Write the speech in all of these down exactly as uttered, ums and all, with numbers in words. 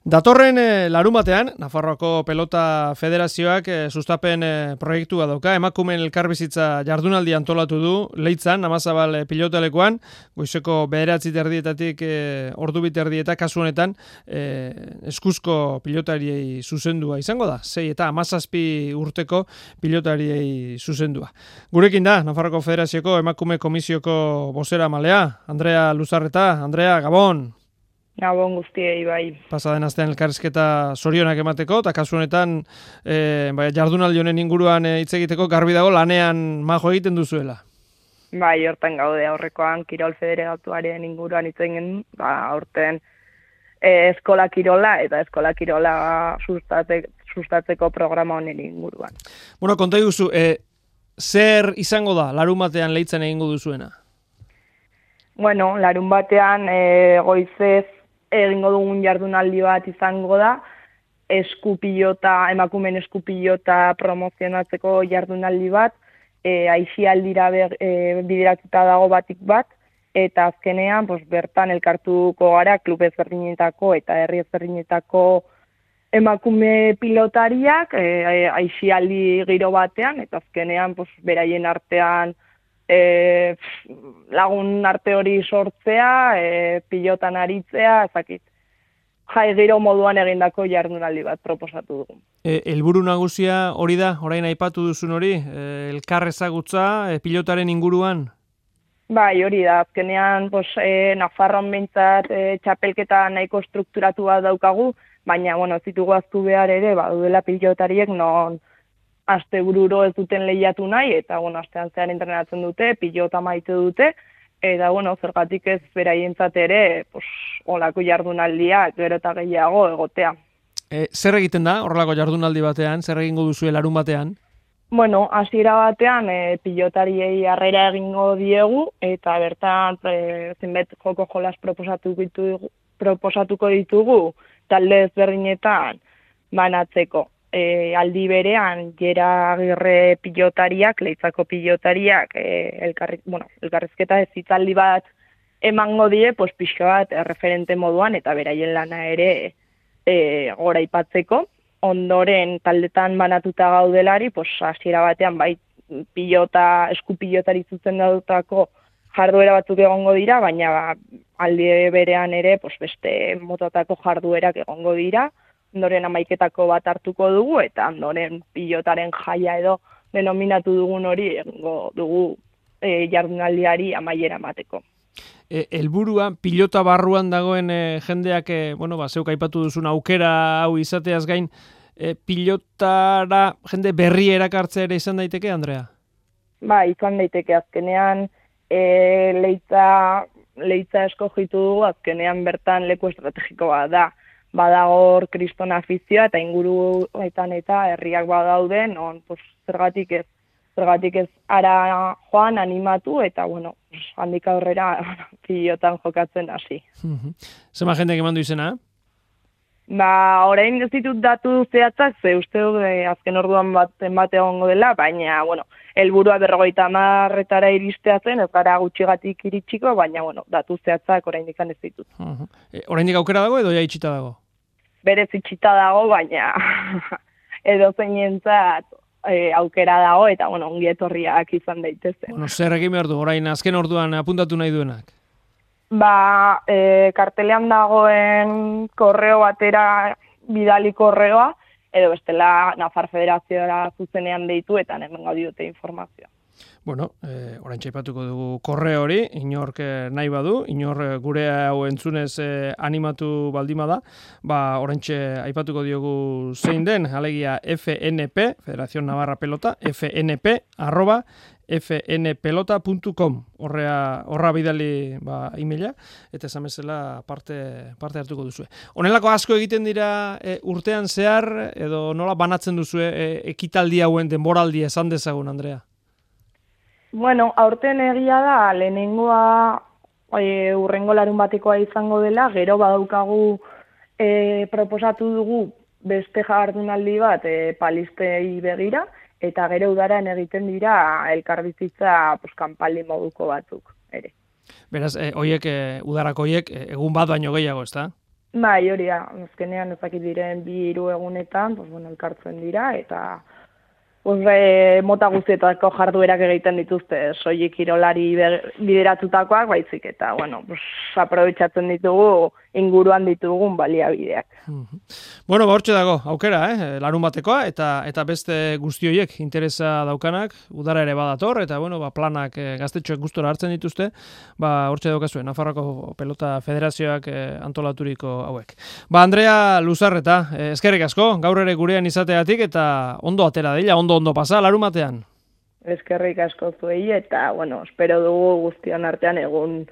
Datorren eh, larumatean, Nafarroako Pelota Federazioak eh, sustapen eh, proiektua dauka, emakumeen elkarbizitza jardunaldi antolatu du, Leitzan, Amazabal eh, pilotalekuan, goizeko bederatzi terdietatik eh, ordu biterdieta kasu honetan eh, eskuzko pilotariei zuzendua izango da, sei eta amazazpi urteko pilotariei zuzendua. Gurekin da, Nafarroako Federazioko emakume komisioko bozera malea, Andrea Luzarreta. Andrea, Gabon! Gabon guztiei bai. Pasaden astean elkarrizketa zorionak emateko, eta kasu honetan e, bai, jardunaldi honen inguruan hitz egiteko garbi dago lanean majo egiten duzuela. Bai, hortan gaude aurrekoan Kirol Federatuaren inguruan hitz egin, ba, aurten e, eskola kirola eta eskola kirola sustate, sustatzeko programa honen inguruan. Bueno, konta iguzu, e, zer izango da larun batean Leitzen egingo duzuena? Bueno, larun batean e, goizez egingo dugun jardunaldi bat izango da, eskupilota, emakumen eskupilota promozionatzeko jardunaldi bat, e, aixialdira e, bideratuta dago batik bat, eta azkenean pues, bertan elkartuko gara klub ezberdinetako eta herri ezberdinetako emakume pilotariak e, aixialdi giro batean, eta azkenean pues, beraien artean E, lagun arte hori sortzea, e, pilotan aritzea, ezakit. Jai giro moduan egindako jardunaldi bat proposatu dugu. E, helburu nagusia hori da, orain aipatu duzun hori, e, elkar ezagutza e, pilotaren inguruan? Bai, hori da, azkenean pues, e, Nafarroan behintzat e, txapelketa nahiko strukturatu bat daukagu, baina, bueno, zitugu aztu behar ere, badudela pilotariek non aste bururo ez duten lehiatu nahi, eta, bueno, astean zean entrenatzen dute, pilota maite dute, eta, bueno, zergatik ez beraientzat ere, pues, olako jardunaldia, gero eta gehiago egotea. E, zer egiten da, horrelako jardunaldi batean, zer egingo duzu larun batean? Bueno, hasiera batean, e, pilotariei harrera egingo diegu, eta bertan, e, zenbait joko jolas proposatuko ditugu, proposatuko ditugu, talde ezberdinetan banatzeko. E, aldi berean, Jera Agirre pilotariak, Leitzako pilotariak, e, elkarri, bueno, elkarrizketa ez hitzaldi bat emango die, pues, pixka bat referente moduan, eta beraien lana ere e, gora ipatzeko. Ondoren, taldetan banatuta gaudelari, pues, hasiera batean, bai, pilota, eskupilotari zuzen daudutako jarduera batzuk egongo dira, baina ba, aldi berean ere, pues, beste motatako jarduerak egongo dira. Ondoren amaiketako bat hartuko dugu, eta ondoren pilotaren jaia edo denominatu dugun hori egingo dugu e, jardunaldiari amaiera emateko. E, helburua pilota barruan dagoen e, jendeak, e, bueno, ba, zeuk aipatu duzun aukera hau izateaz gain, e, pilotara jende berri erakartzea ere izan daiteke, Andrea? Ba, izan daiteke azkenean, e, leitza, leitza eskogitu dugu, azkenean bertan leku estrategiko bat da. Badagor kriston afizioa eta inguruetan eta herriak badauden, on, pues, zergatik ez, zergatik ez ara joan animatu eta, bueno, pues, handik aurrera pilotan jokatzen hasi. Zema jendek eman du izena? Ba, orain ez ditut datu zehatzak, ze uste du azken orduan bat bate egongo dela, baina, bueno, helburua berrogeita hamarretara iristea zen, ez gara gutxigatik iritsiko, baina, bueno, datu zehatzak oraindik ez ditut. Uh-huh. E, oraindik aukera dago edo ja itxita dago? Berez itxita dago, baina edo zeinentzat e, aukera dago, eta, bueno, ongi etorriak izan daitezen. Bueno, zer egin behar du, orain azken orduan apuntatu nahi duenak? Ba, e, kartelean dagoen korreo batera bidali korreoa, edo bestela Nafar Federazioa zuzenean deitu eta hemen gaudiote informazioa. Bueno, eh, orain txaipatuko dugu korre hori, inork nahi badu, inor gure hau entzunez eh, animatu baldima da, ba, orain aipatuko diogu zein den, alegia F N P, Federación Navarra Pelota, F N P, arroba, f n pelota puntu com, horrea, horra bidali ba, e-maila, eta esan bezala parte, parte hartuko duzue. Honelako asko egiten dira e, urtean zehar, edo nola banatzen duzue e, ekitaldi hauen denboraldi esan dezagun, Andrea? Bueno, aurten egia da, lehenengoa e, urrengo larun batekoa izango dela, gero badaukagu e, proposatu dugu beste jardunaldi bat e, palistei begira, eta gero udaran egiten dira elkarbizitza pues, kanpaldi moduko batzuk ere. Beraz, e, oiek, e, udarako oiek, e, egun bat baino gehiago, ezta? Bai, hori da, azkenean ezakit diren bi hiru egunetan, pues, bueno, elkartzen dira, eta pues, e, mota guztietako jarduerak egiten dituzte, soilik kirolari bideratutakoak, baizik, eta, bueno, pues, aprobetxatzen ditugu inguruan ditugun baliabideak. Bueno, ba, hortxe dago, aukera, eh? Larun batekoa, eta eta beste guzti horiek interesa daukanak, udara ere badator, eta bueno, ba, planak eh, gaztetxoek gustora hartzen dituzte, ba, hortxe daukazue, Nafarroako Pelota Federazioak eh, antolaturiko hauek. Ba, Andrea Luzarreta, eh, eskerrik asko, gaur ere gurean izateatik, eta ondo atera dela, ondo ondo pasa, larun batean. Eskerrik asko zuei, eta, bueno, espero dugu guztion artean egun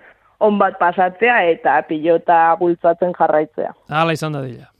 on bat pasatzea eta pilota bultzatzen jarraitzea. Hala izan da dila.